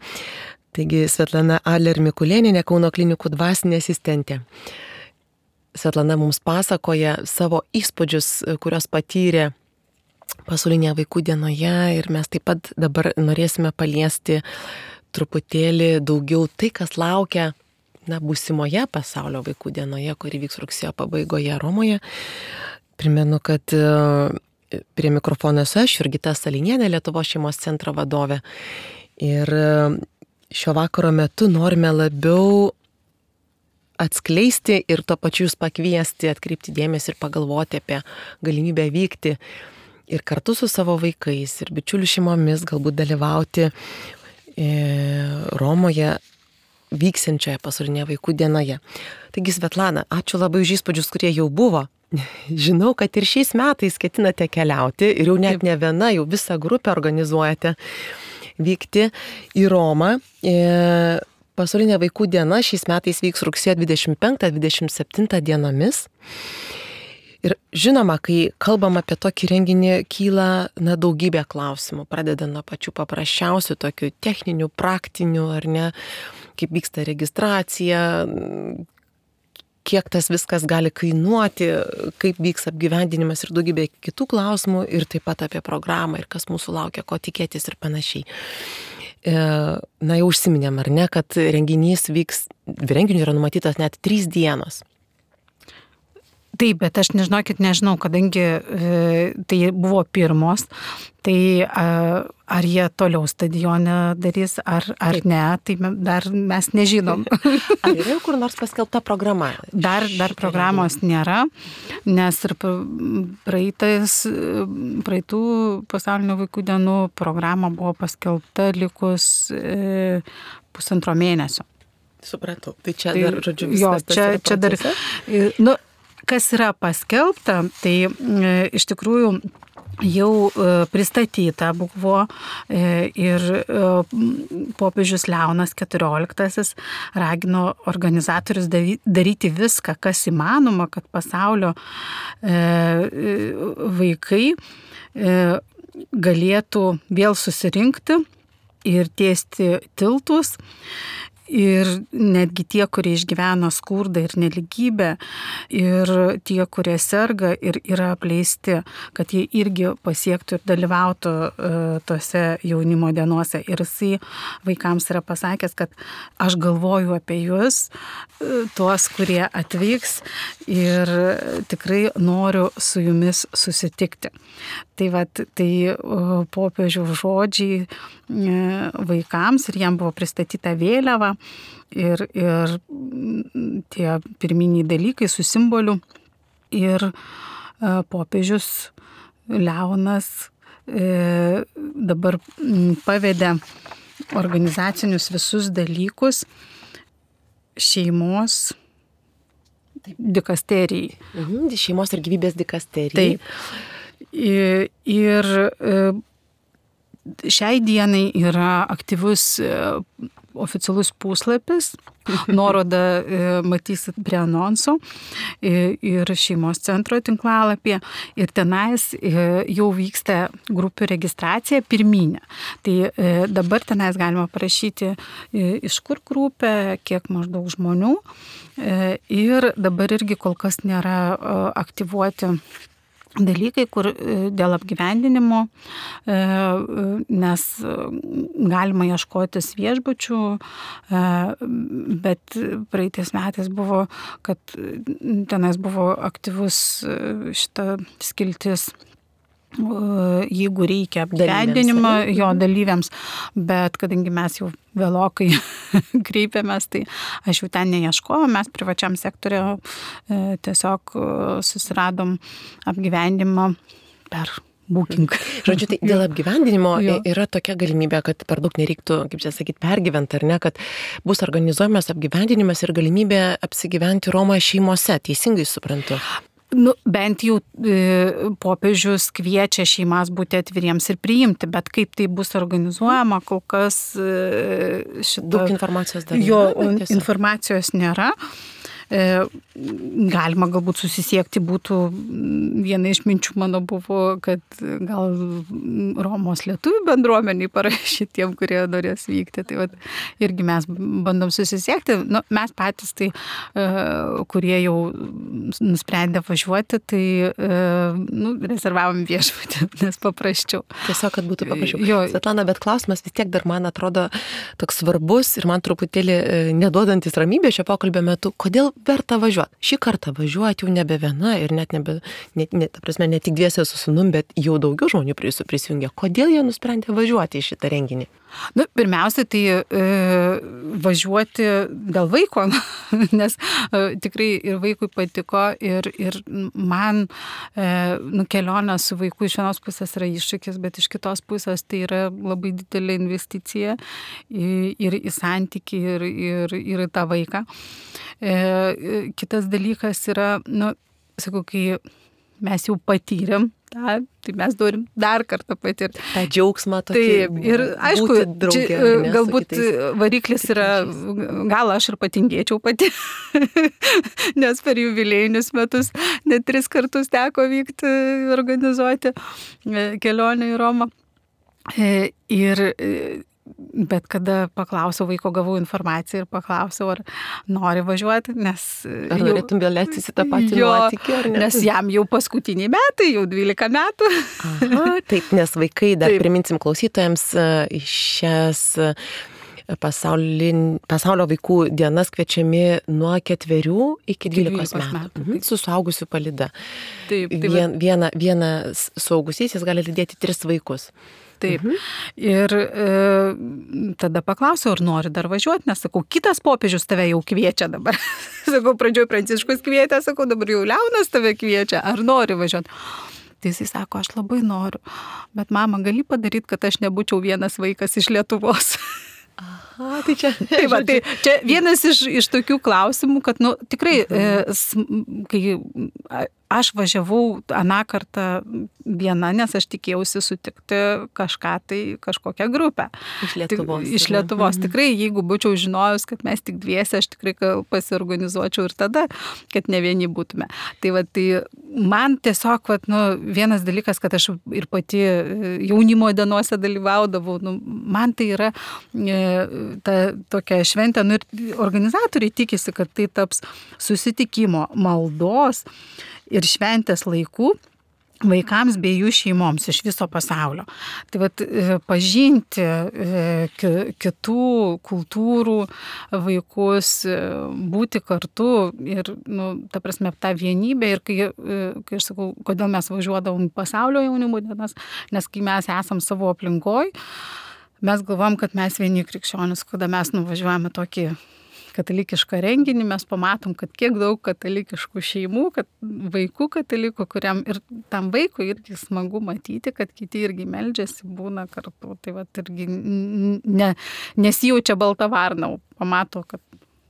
[SPEAKER 1] Taigi Svetlana Adler Mikulėnienė, Kauno klinikų dvasinė asistentė. Svetlana mums pasakoja savo įspūdžius, kurios patyrė pasaulinėje vaikų dienoje, ir mes taip pat dabar norėsime paliesti truputėlį daugiau tai, kas laukia na, būsimoje pasaulio vaikų dienoje, kuri vyks rugsėjo pabaigoje Romoje. Primenu, kad prie mikrofono esu aš, Jurgita Salinienė, Lietuvos šeimos centro vadovė. Ir šio vakaro metu norime labiau atskleisti ir tuo pačiu jūs pakviesti, atkreipti dėmesį ir pagalvoti apie galimybę vykti ir kartu su savo vaikais ir bičiulių šeimomis galbūt dalyvauti Romoje vyksiančioje pasaulinėje vaikų dienoje. Taigi, Svetlana, ačiū labai už įspūdžius, kurie jau buvo. Žinau, kad ir šiais metais ketinate keliauti ir jau net ne viena, jau visą grupę organizuojate vykti į Romą. Pasaulinė vaikų diena šiais metais vyks rugsėjo dvidešimt penktą dvidešimt septintą dienomis. Ir žinoma, kai kalbam apie tokį renginį, kyla na, daugybė klausimų, pradedant nuo pačių paprasčiausių, tokių techninių, praktinių, ar ne, kaip vyksta registracija, kiek tas viskas gali kainuoti, kaip vyks apgyvendinimas ir daugybė kitų klausimų, ir taip pat apie programą ir kas mūsų laukia, ko tikėtis ir panašiai. Na, jau užsiminėm, ar ne, kad renginys vyks, renginiui yra numatytas net trys dienos.
[SPEAKER 2] Taip, bet aš nežinokit, nežinau, kadangi e, tai buvo pirmos, tai a, ar jie toliau stadione darys, ar, ar ne, tai dar mes nežinom.
[SPEAKER 1] Ar yra kur nors paskelbta programa?
[SPEAKER 2] Dar, dar programos nėra, nes ir praeitais, praeitų pasaulinių vaikų dienų programa buvo paskelbta likus e, pusantro mėnesio.
[SPEAKER 1] Supratau. Tai čia tai, dar, žodžiu, viskas.
[SPEAKER 2] Jo, čia, čia dar, nu, kas yra paskelbta, tai e, iš tikrųjų jau e, pristatyta buvo e, ir e, popiežius Leonas keturioliktasis ragino organizatorius daryti viską, kas įmanoma, kad pasaulio e, vaikai e, galėtų vėl susirinkti ir tiesti tiltus. Ir netgi tie, kurie išgyvena skurdą ir neligybę, ir tie, kurie serga ir yra apleisti, kad jie irgi pasiektų ir dalyvautų uh, tose jaunimo dienose. Ir jisai vaikams yra pasakęs, kad aš galvoju apie jūs, uh, tuos, kurie atvyks, ir tikrai noriu su jumis susitikti. Tai, vat, tai uh, popiežiaus žodžiai uh, vaikams, ir jam buvo pristatyta vėliava. Ir, ir tie pirminiai dalykai su simboliu. Ir e, popiežius Leonas e, dabar pavedė organizacinius visus dalykus šeimos dikasterijai.
[SPEAKER 1] Mhm, šeimos ir gyvybės dikasterijai.
[SPEAKER 2] Taip. Ir, ir e, šiai dienai yra aktyvus e, oficialus puslapis, nuorodą e, matysit prie anonsų e, ir šeimos centro tinklalapyje, ir tenais e, jau vyksta grupių registracija pirminė. Tai e, dabar tenais galima parašyti e, iš kur grupė, kiek maždaug žmonių, e, ir dabar irgi kol kas nėra e, aktyvuoti dalykai, kur dėl apgyvendinimo, nes galima ieškotis viešbučių, bet praeitais metais buvo, kad tenais buvo aktyvus šita skiltis, jeigu reikia apgyvendinimą jo dalyviams, bet kadangi mes jau vėlokai kreipiamės, tai aš jau ten neieškojau, mes privačiam sektoriu tiesiog susiradom apgyvendinimą per booking.
[SPEAKER 1] Žodžiu, tai dėl apgyvendinimo yra tokia galimybė, kad per daug nereiktų, kaip čia sakyti, pergyventi, ar ne, kad bus organizuojamas apgyvendinimas ir galimybė apsigyventi Romoje šeimose, teisingai suprantu.
[SPEAKER 2] Nu, bent jau e, popiežius kviečia šeimas būti atviriems ir priimti, bet kaip tai bus organizuojama, kol kas e, šita...
[SPEAKER 1] Daug informacijos dar
[SPEAKER 2] jo,
[SPEAKER 1] nėra.
[SPEAKER 2] Jo, informacijos nėra. E, galima galbūt susisiekti būtų, viena iš minčių mano buvo, kad gal Romos lietuvių bendruomeniai parašyti tiem, kurie norės vykti. Tai vat, irgi mes bandom susisiekti. Nu, mes patys, tai, e, kurie jau nusprendė važiuoti, tai e, nu, rezervavom viešbutį, nes paprasčiau.
[SPEAKER 1] Tiesiog, kad būtų paprasčiau.
[SPEAKER 2] Jo.
[SPEAKER 1] Svetlana, bet klausimas vis tiek dar man atrodo toks svarbus ir man truputėlį neduodantis ramybė šio pokalbio metu. Kodėl verta važiuoti? Šį kartą važiuoti jau nebe viena ir net nebe, net, net, ta prasme, ne tik dviese su sūnum, bet jau daugiau žmonių prisijungia. Kodėl jie nusprendė važiuoti į šitą renginį?
[SPEAKER 2] Nu, pirmiausia, tai e, važiuoti dėl vaiko, nes e, tikrai ir vaikui patiko, ir, ir man e, nu, kelionė su vaiku iš vienos pusės yra iššūkis, bet iš kitos pusės tai yra labai didelė investicija į, ir į santykį, ir, ir, ir į tą vaiką. E, kitas dalykas yra, nu, sakau, kai mes jau patyrėm tą, tai mes norim dar kartą patirti.
[SPEAKER 1] tą džiaugsmą tokį.
[SPEAKER 2] Taip, ir aišku,
[SPEAKER 1] draugė,
[SPEAKER 2] čia,
[SPEAKER 1] ne,
[SPEAKER 2] galbūt variklis yra, gal aš ir patingėčiau pati, nes per jubiliejinius metus net tris kartus teko vykti, organizuoti kelionę į Romą. Ir bet kada paklausiau vaiko, gavau informaciją ir paklausiau, ar nori važiuoti, nes...
[SPEAKER 1] Ar norėtum vėl leistis į tą patį nuotykį, ar ne?
[SPEAKER 2] Nes jam jau paskutiniai metai, jau dvylika metų.
[SPEAKER 1] Aha, taip, nes vaikai, dar taip. Priminsim klausytojams, šias pasaulin, pasaulio vaikų dienas kviečiami nuo ketverių iki dvylikos metų.
[SPEAKER 2] metų.
[SPEAKER 1] Mhm. Su suaugusiu palyda.
[SPEAKER 2] Taip, taip,
[SPEAKER 1] Vien, viena, vienas suaugusysis gali lydėti tris vaikus.
[SPEAKER 2] Taip. Mhm. Ir e, tada paklausiau, ar nori dar važiuoti, nes sakau, kitas popiežius tave jau kviečia dabar. Sakau, pradžioj Pranciškus kvietė, sakau, dabar jau Leonas tave kviečia, ar nori važiuoti. Tai jisai sako, aš labai noriu, bet mama, gali padaryti, kad aš nebūčiau vienas vaikas iš Lietuvos.
[SPEAKER 1] Aha, tai čia.
[SPEAKER 2] Tai va, tai čia vienas iš, iš tokių klausimų, kad, nu, tikrai, mhm. e, kai aš važiavau aną kartą viena, nes aš tikėjausi sutikti kažką tai, kažkokią grupę.
[SPEAKER 1] Iš Lietuvos.
[SPEAKER 2] Tik, iš Lietuvos.
[SPEAKER 1] Mhm.
[SPEAKER 2] Tikrai, jeigu būčiau žinojus, kad mes tik dviese, aš tikrai pasiorganizuočiau ir tada, kad ne vieni būtume. Tai va, tai man tiesiog, va, nu, vienas dalykas, kad aš ir pati jaunimo dienose dalyvaudavau, nu, man tai yra e, ta tokia šventė, nu, ir organizatoriai tikisi, kad tai taps susitikimo, maldos ir šventės laikų vaikams bei jų šeimoms iš viso pasaulio. Tai vat, pažinti kitų kultūrų vaikus, būti kartu ir, nu, ta prasme, tą vienybę. Ir kai, kai aš sakau, kodėl mes važiuodavom į pasaulio jaunimo dienas, nes kai mes esam savo aplinkoj, mes galvom, kad mes vieni krikščionis, kada mes nuvažiuojame tokį katalikišką renginį, mes pamatom, kad kiek daug katalikiškų šeimų, kad vaikų katalikų, kuriam ir tam vaikui irgi smagu matyti, kad kiti irgi meldžiasi, būna kartu. Tai va, irgi ne, nesijaučia balta varna, pamato, kad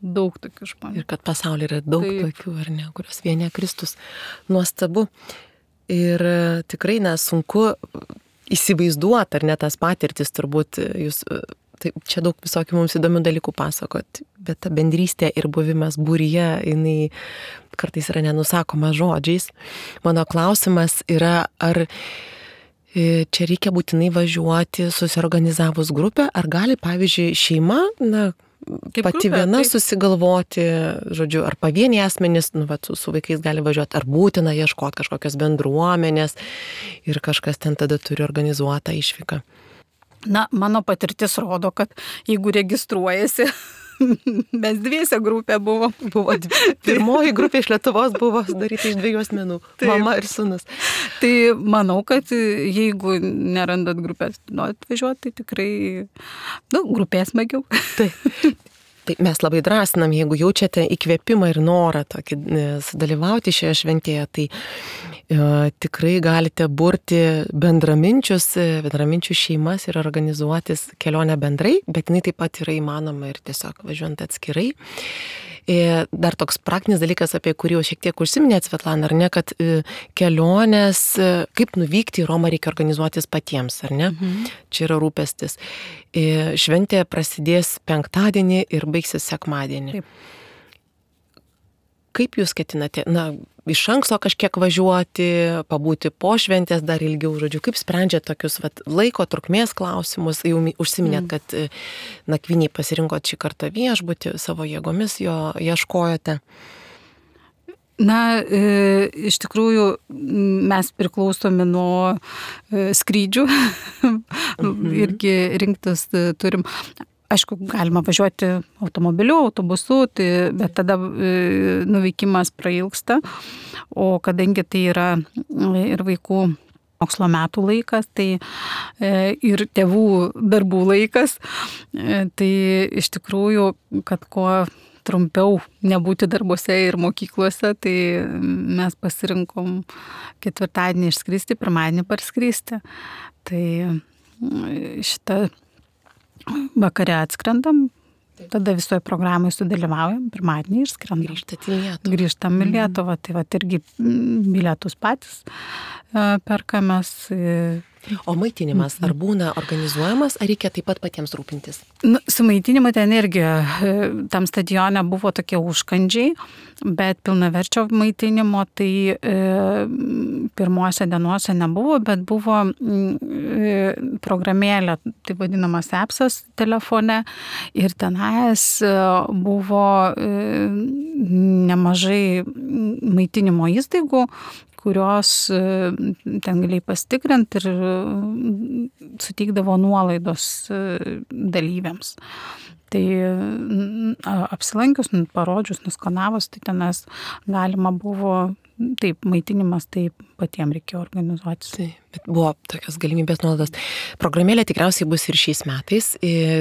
[SPEAKER 2] daug tokių žmonių.
[SPEAKER 1] Ir kad pasaulyje yra daug Taip. Tokių, ar ne, kurios vienė Kristus. Nuostabu. Ir tikrai nesunku įsivaizduoti, ar ne tas patirtis, turbūt jūs... Taip, čia daug visokių mums įdomių dalykų pasakot, bet ta bendrystė ir buvimas būryje, jinai kartais yra nenusakoma žodžiais. Mano klausimas yra, ar čia reikia būtinai važiuoti susiorganizavus grupę, ar gali, pavyzdžiui, šeima, na, Kaip pati grupė, viena taip. Susigalvoti, žodžiu, ar pavieniai asmenys, nu, va, su, su vaikais gali važiuoti, ar būtina ieškoti kažkokios bendruomenės ir kažkas ten tada turi organizuotą išvyką.
[SPEAKER 2] Na, mano patirtis rodo, kad jeigu registruojasi, mes dviese grupė buvo.
[SPEAKER 1] buvo Pirmoji grupė iš Lietuvos buvo sudaryta iš dviejų asmenų, Taip. Mama ir sūnus.
[SPEAKER 2] Tai manau, kad jeigu nerandat grupės, norit važiuoti, tai tikrai, nu, grupės smagiau.
[SPEAKER 1] Taip. Tai mes labai drąsinam, jeigu jaučiate įkvėpimą ir norą tokį sudalyvauti šioje šventėje, tai e, tikrai galite burti bendraminčius, bendraminčių šeimas ir organizuotis kelionę bendrai, bet jinai taip pat yra įmanoma ir tiesiog važiuojant atskirai. E, dar toks praktinis dalykas, apie kurį jau šiek tiek užsiminėt, Svetlana, ar ne, kad e, kelionės, e, kaip nuvykti į Romą reikia organizuotis patiems, ar ne? Mhm. Čia yra rūpestis. E, šventė prasidės penktadienį ir baigsis sekmadienį. Taip. Kaip jūs ketinate, na, iš anksto kažkiek važiuoti, pabūti po šventės dar ilgiau, žodžiu, kaip sprendžiate tokius vat, laiko trukmės klausimus, jau užsiminėt, mm. kad nakvynį pasirinkot šį kartą viešbutį, savo jėgomis jo ieškojote.
[SPEAKER 2] Na, e, iš tikrųjų, mes priklausomi nuo e, skrydžių, mm-hmm. irgi rinktis turim. Aišku, galima važiuoti automobiliu, autobusu, tai, bet tada e, nuvykimas prailgsta, o kadangi tai yra ir vaikų mokslo metų laikas, tai e, ir tėvų darbų laikas, e, tai iš tikrųjų, kad kuo trumpiau nebūti darbuose ir mokyklose, tai mes pasirinkom ketvirtadienį išskristi, pirmadienį parskristi. Tai šitą vakare atskrendam, tada visoje programoje sudalyvaujam, pirmadienį išskrendam.
[SPEAKER 1] Grįžtat į Lietuvą.
[SPEAKER 2] Grįžtam į Lietuvą, tai va irgi bilietus patys perkamės.
[SPEAKER 1] O maitinimas, ar būna organizuojamas, ar reikia taip pat patiems rūpintis?
[SPEAKER 2] Nu, su maitinimu ten irgi tam stadione buvo tokie užkandžiai, bet pilnaverčio maitinimo tai e, pirmuose dienuose nebuvo, bet buvo e, programėlė, tai vadinamas appsas telefone ir tenais buvo e, nemažai maitinimo įstaigų, kurios ten galėjai pasitikrinti ir suteikdavo nuolaidos dalyviams. Tai apsilankius, parodžius, nuskanavus, tai tenas galima buvo, taip, maitinimas, taip patiems reikėjo organizuotis.
[SPEAKER 1] Taip, bet buvo tokios galimybės nuolaidos. Programėlė tikriausiai bus ir šiais metais.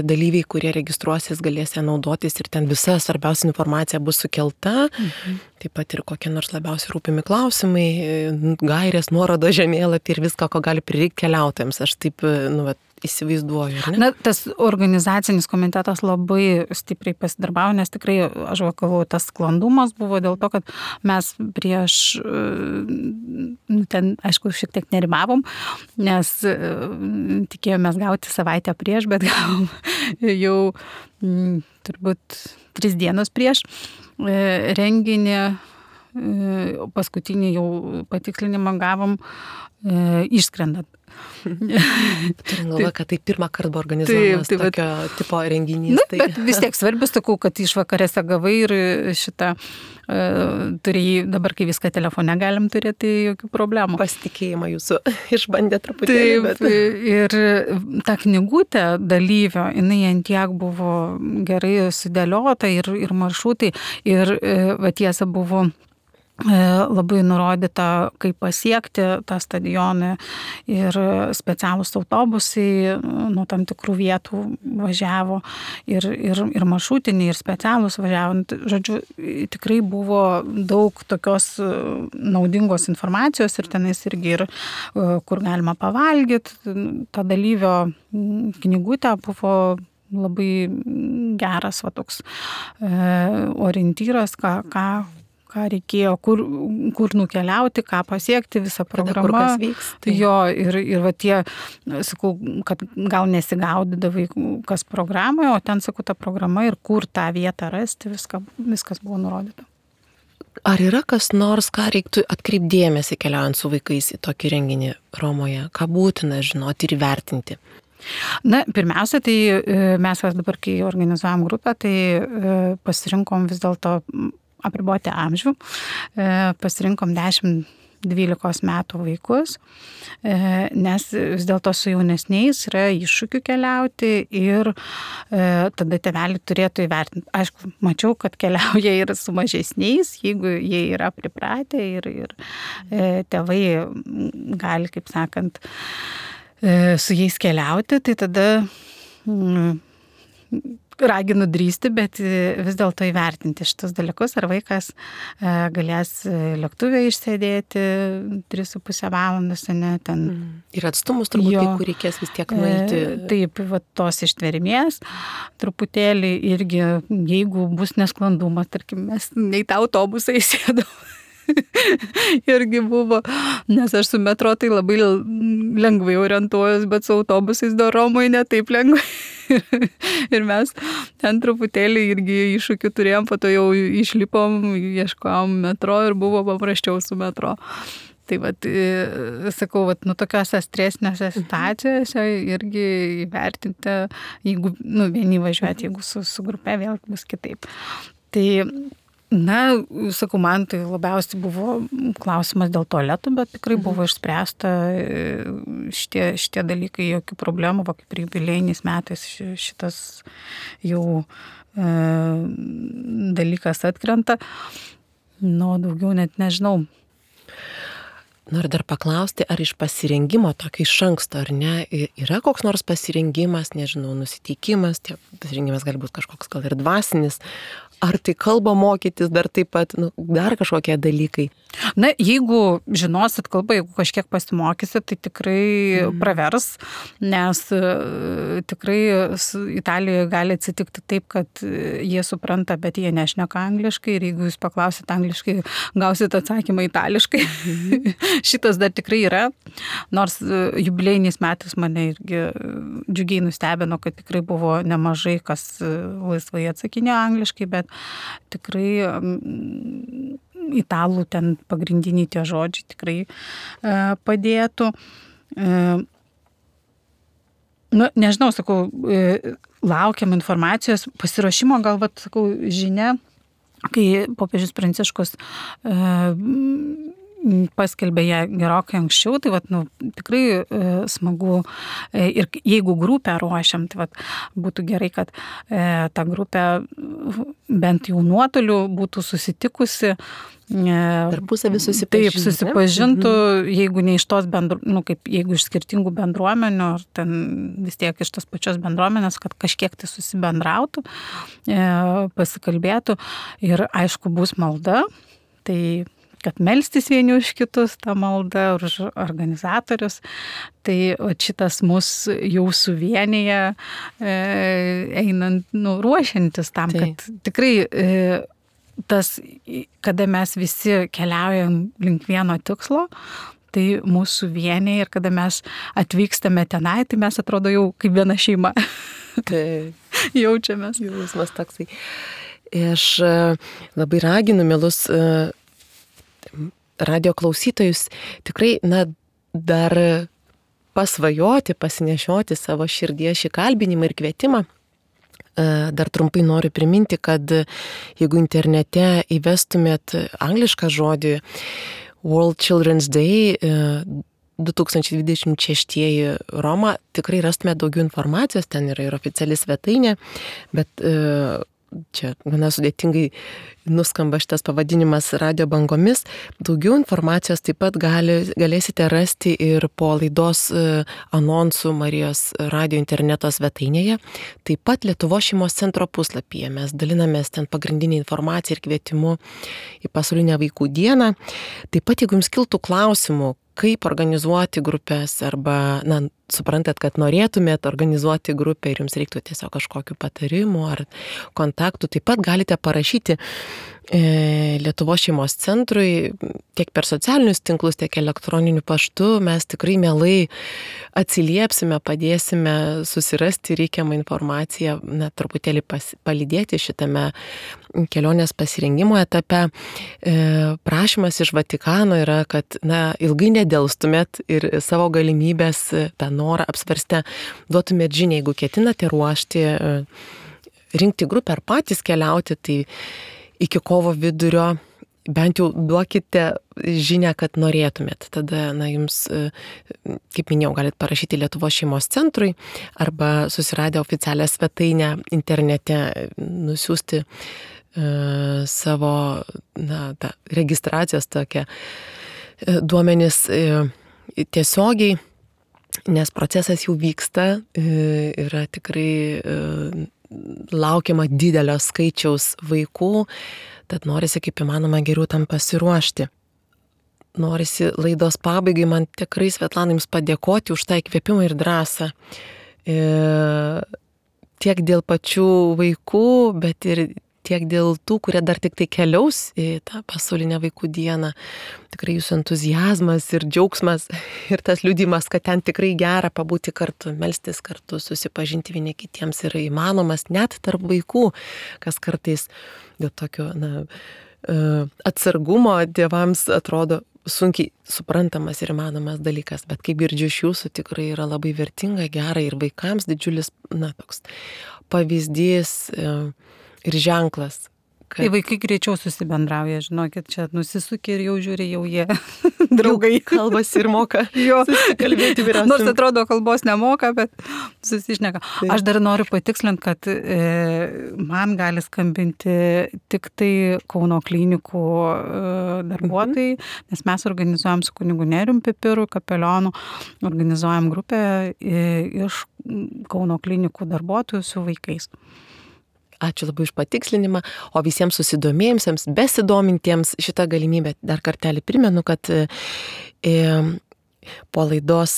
[SPEAKER 1] Dalyviai, kurie registruosis, galės ją naudotis ir ten visa svarbiausia informacija bus sukelta. Mhm. Taip pat ir kokie nors labiausiai rūpimi klausimai, gairės, nuorodo žemėlapį ir viską, ko gali prireikti keliautojams. Aš taip, nu, vat, įsivaizduoju, ar ne?
[SPEAKER 2] Na, tas organizacinis komitetas labai stipriai pasidarbavo, nes tikrai, aš galvoju, tas sklandumas buvo dėl to, kad mes prieš, ten, aišku, šiek tiek nerimavom, nes tikėjomės gauti savaitę prieš, bet gavom jau turbūt tris dienos prieš renginį, paskutinį jau patikslinimą gavom išskrendant.
[SPEAKER 1] Turim galvoje, kad tai pirmą kartą buvo organizuojamas taip, taip, tokio tipo renginys.
[SPEAKER 2] Nu,
[SPEAKER 1] tai...
[SPEAKER 2] Bet vis tiek svarbius, sakau, kad išvakarėse gavai ir šitą uh, turėjai, dabar kai viską telefone galim turėti, tai jokių problemų.
[SPEAKER 1] Pasitikėjimą jūsų išbandė truputėlį.
[SPEAKER 2] Taip, bet... ir ta knygutė dalyvio, jinai ant tiek buvo gerai sudėliota ir, ir maršrutai, ir va tiesa buvo labai nurodyta, kaip pasiekti tą stadioną ir specialūs autobusai nuo tam tikrų vietų važiavo ir, ir, ir maršrutiniai, ir specialūs važiavo. Žodžiu, tikrai buvo daug tokios naudingos informacijos ir tenais irgi ir kur galima pavalgyti. Ta dalyvio knygutė buvo labai geras va, toks orientyras, ką, ką ką reikėjo, kur, kur nukeliauti, ką pasiekti, visą programą.
[SPEAKER 1] Kada, kur kas vyks. Tai...
[SPEAKER 2] Jo, ir, ir va tie, sakau, kad gal nesigaudydavai kas programoje, o ten, sakau, ta programa ir kur tą vietą rasti, viską, viskas buvo nurodyta.
[SPEAKER 1] Ar yra kas nors, ką reiktų atkreipdėmėsi keliaujant su vaikais į tokį renginį Romoje? Ką būtina žinoti ir įvertinti?
[SPEAKER 2] Na, pirmiausia, tai mes dabar, kai organizuojam grupę, tai pasirinkom vis dėlto apriboti amžių, pasirinkom dešimt dvylikos metų vaikus, nes vis dėlto su jaunesniais yra iššūkių keliauti ir tada tėveliai turėtų įvertinti. Aišku, mačiau, kad keliauja ir su mažesniais, jeigu jie yra pripratę ir, ir tėvai gali, kaip sakant, su jais keliauti, tai tada raginu drįsti, bet vis dėlto įvertinti šitus dalykus, ar vaikas galės lėktuvę išsėdėti tris su pusę valandos, ne, ten.
[SPEAKER 1] Ir atstumus turbūt, jo, kai kur reikės vis tiek nueiti.
[SPEAKER 2] Taip, va, tos ištvermės, truputėlį irgi, jeigu bus nesklandumas, tarkim, mes nei tą autobusą įsėdom. Irgi buvo, nes aš su metro tai labai lengvai orientuojuos, bet su autobusais do Romoje ne taip lengvai. Ir mes ten truputėlį irgi iššūkių turėjom, po to jau išlipom, ieškojom metro ir buvo paprasčiau su metro. Tai vat, sakau, vat, nu, tokiose stresinėse situacijose irgi įvertinti, jeigu, nu, vieni važiuoti, jeigu su, su grupe vėl bus kitaip. Tai na, sakau, man tai labiausiai buvo klausimas dėl tualetų, bet tikrai buvo išspręsta šitie, šitie dalykai, jokių problemų, va, kaip ir jubiliejiniais metais šitas jau e, dalykas atkrenta. Nu, daugiau net nežinau.
[SPEAKER 1] Noriu dar paklausti, ar iš pasirengimo tokio iš anksto, ar ne, yra koks nors pasirengimas, nežinau, nusiteikimas, tie pasirengimas gali būti kažkoks gal ir dvasinis, ar tai kalbą mokytis dar taip pat, nu, dar kažkokie dalykai?
[SPEAKER 2] Na, jeigu žinosit kalbą, jeigu kažkiek pasimokysit, tai tikrai mm. pravers, nes tikrai Italijoje gali atsitikti taip, kad jie supranta, bet jie nešneka angliškai ir jeigu jūs paklausit angliškai, gausit atsakymą itališkai. Mm. Šitas dar tikrai yra, nors jubiliejiniais metais mane irgi džiugiai nustebino, kad tikrai buvo nemažai, kas laisvai atsakinėjo angliškai, bet tikrai italų ten pagrindiniai tie žodžiai tikrai padėtų. Nu, nežinau, sakau, laukiam informacijos, pasiruošimo, gal, vat, sakau, žinia, kai popiežius Pranciškus paskelbė ją gerokai anksčiau, tai vat, nu, tikrai e, smagu e, ir jeigu grupę ruošiam, tai vat, būtų gerai, kad e, ta grupė bent jau nuotoliu būtų susitikusi.
[SPEAKER 1] Tarpusavį susipažintų.
[SPEAKER 2] Taip, susipažintų, mhm. jeigu ne iš tos bendru, nu, kaip jeigu iš skirtingų bendruomenių, ar ten vis tiek iš tos pačios bendruomenės, kad kažkiek tai susibendrautų, e, pasikalbėtų ir aišku bus malda, tai kad melstis vieni už kitus tą maldą, už organizatorius, tai šitas mus jau suvienyje e, einant, nu, ruošiantis tam, tai. Kad tikrai e, tas, kada mes visi keliaujam link vieno tikslo, tai mūsų vienyje ir kada mes atvykstame tenai, tai mes atrodo jau kaip viena šeima.
[SPEAKER 1] Tai
[SPEAKER 2] jaučiamės.
[SPEAKER 1] Jausmas toksai. Aš labai raginu, mielus radio klausytojus, tikrai, na, dar pasvajoti, pasinešioti savo širdyje šį kalbinimą ir kvietimą. Dar trumpai noriu priminti, kad jeigu internete įvestumėt anglišką žodį World Children's Day du tūkstančiai dvidešimt šeši Roma, tikrai rastumėt daugiau informacijos, ten yra ir oficiali svetainė, bet čia gana sudėtingai nuskamba šitas pavadinimas radio bangomis. Daugiau informacijos taip pat gali, galėsite rasti ir po laidos anonsų Marijos radio interneto svetainėje. Taip pat Lietuvos šeimos centro puslapyje mes dalinamės ten pagrindinį informaciją ir kvietimu į pasaulinę vaikų dieną. Taip pat, jeigu jums kiltų klausimų, kaip organizuoti grupės arba, na, suprantat, kad norėtumėt organizuoti grupę ir jums reiktų tiesiog kažkokių patarimų ar kontaktų, taip pat galite parašyti e, Lietuvos šeimos centrui tiek per socialinius tinklus, tiek elektroniniu paštu. Mes tikrai mielai atsiliepsime, padėsime susirasti reikiamą informaciją, na, truputėlį pas, palydėti šitame kelionės pasirengimo etape. E, prašymas iš Vatikano yra, kad, na, ilgai nedelstumėt ir savo galimybės, tą norą apsvarstę, duotumėt žinią, jeigu ketinate ruošti, rinkti grupę ar patys keliauti, tai iki kovo vidurio bent jau duokite žinią, kad norėtumėt. Tada, na, jums, kaip minėjau, galit parašyti Lietuvos šeimos centrui arba susiradę oficialią svetainę internete nusiųsti uh, savo, na, tą registracijos tokią uh, duomenis uh, tiesiogiai, nes procesas jau vyksta, yra tikrai laukiama didelio skaičiaus vaikų, tad norisi kaip įmanoma geriau tam pasiruošti. Norisi laidos pabaigai man tikrai, Svetlana, jums padėkoti už tą įkvėpimą ir drąsą. Tiek dėl pačių vaikų, bet ir tiek dėl tų, kurie dar tik tai keliaus į tą pasaulinę vaikų dieną. Tikrai jūsų entuzijazmas ir džiaugsmas ir tas liudimas, kad ten tikrai gera pabūti kartu, melstis kartu, susipažinti vieni kitiems yra įmanomas net tarp vaikų, kas kartais dėl tokio, na, atsargumo tėvams atrodo sunkiai suprantamas ir įmanomas dalykas, bet kaip girdžiu iš jūsų, tikrai yra labai vertinga, gera ir vaikams didžiulis, na, toks pavyzdys ir ženklas.
[SPEAKER 2] Kad... Tai vaikai greičiau susibendrauja, žinokit, čia nusisukė ir jau žiūri, jau jie draugai.
[SPEAKER 1] Jau kalbasi ir moka susikalbėti vyriausiam.
[SPEAKER 2] Nors atrodo kalbos nemoka, bet susišneka. Tai. Aš dar noriu patikslinti, kad e, man gali skambinti tik tai Kauno klinikų e, darbuotojai, mhm. nes mes organizuojam su kunigu Nerijum Pipiru, kapelionu, organizuojam grupę e, iš Kauno klinikų darbuotojų su vaikais.
[SPEAKER 1] Ačiū labai už patikslinimą, o visiems susidomėjimsiems, besidomintiems šitą galimybę dar kartelį primenu, kad e, po laidos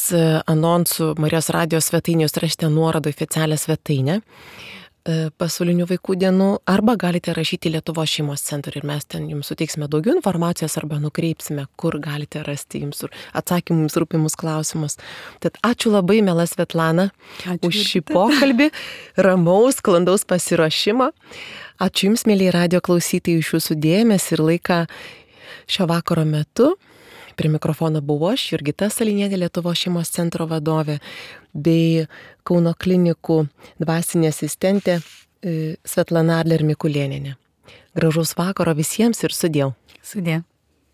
[SPEAKER 1] anonsų Marijos radio svetainės rašite nuorodą oficialią svetainę e, pasaulinių vaikų dienų, arba galite rašyti Lietuvos šeimos centrui ir mes ten jums suteiksime daugiau informacijos arba nukreipsime, kur galite rasti jums atsakymus rūpimus klausimus. Tad ačiū labai, miela Svetlana, ačiū už šį pokalbį, ramaus, sklandaus pasiruošimo. Ačiū jums, mėlyje radio klausytojai, už jūsų dėmesį ir laiką šio vakaro metu. Prie mikrofono buvau aš, Jurgita Salinienė, Lietuvos šeimos centro vadovė, bei Kauno klinikų dvasinė asistentė Svetlana Adler Mikulėnienė. Gražaus vakaro visiems ir sudiev.
[SPEAKER 2] Sudiev.